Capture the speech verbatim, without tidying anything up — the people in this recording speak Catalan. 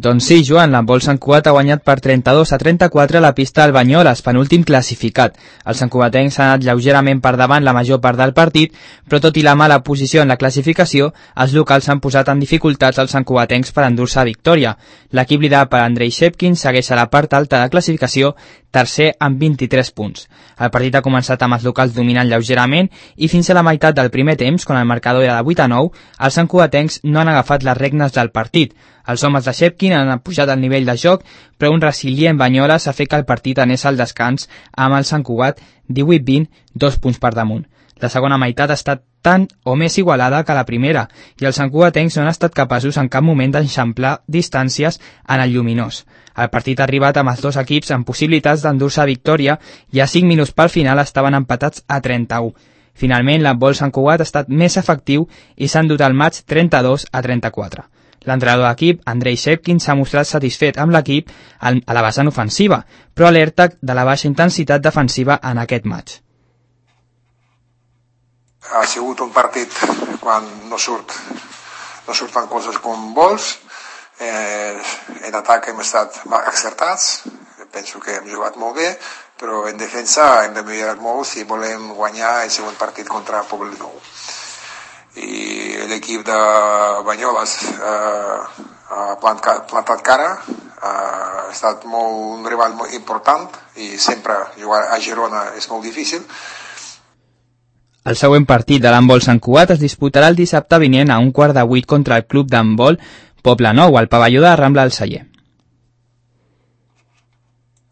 Doncs sí, Joan, l'handbol Sant Cugat ha guanyat per trenta-dos a trenta-quatre a la pista del Banyoles, penúltim classificat. Els santcugatencs s'han anat lleugerament per davant la major part del partit, però tot i la mala posició en la classificació, els locals s'han posat en dificultats als santcugatencs per endur-se victòria. L'equip liderat per Andrei Shepkin segueix a la part alta de la classificació, tercer amb vint-i-tres punts. El partit ha començat amb els locals dominant lleugerament i fins a la meitat del primer temps, quan el marcador era de vuit a nou, els santcugatencs no han agafat les regnes del partit. Els homes de Shepkin han pujat el nivell de joc, però un resilient Banyoles ha fet que el partit anés al descans amb el Sant Cugat divuit vint, dos punts per damunt. La segona meitat ha estat tan o més igualada que la primera i els santcugatencs no han estat capaços en cap moment d'enxamplar distàncies en el lluminós. El partit ha arribat amb els dos equips amb possibilitats d'endur-se victòria i a cinc minuts pel final estaven empatats a trenta-u. Finalment, l'handbol Sant Cugat ha estat més efectiu i s'ha endut el maig trenta-dos a trenta-quatre. L'entrenador d'equip, Andrei Shepkin, s'ha mostrat satisfet amb l'equip a la vessant ofensiva, però alerta de la baixa intensitat defensiva en aquest maig. Ha sigut un partit quan no, surt, no surten coses com vols. Eh, en atac hem estat accertats, penso que hem jugat molt bé, però en defensa hem de millorar molt si volem guanyar el segon partit contra Poblet Nou. I l'equip de Banyoles eh, ha plantat, plantat cara, eh, ha estat molt, un rival molt important i sempre jugar a Girona és molt difícil. El següent partit de l'handbol Sant Cugat es disputarà el dissabte vinent a un quart de vuit contra el club d'handbol Poble Nou, al pavelló de Rambla del Celler.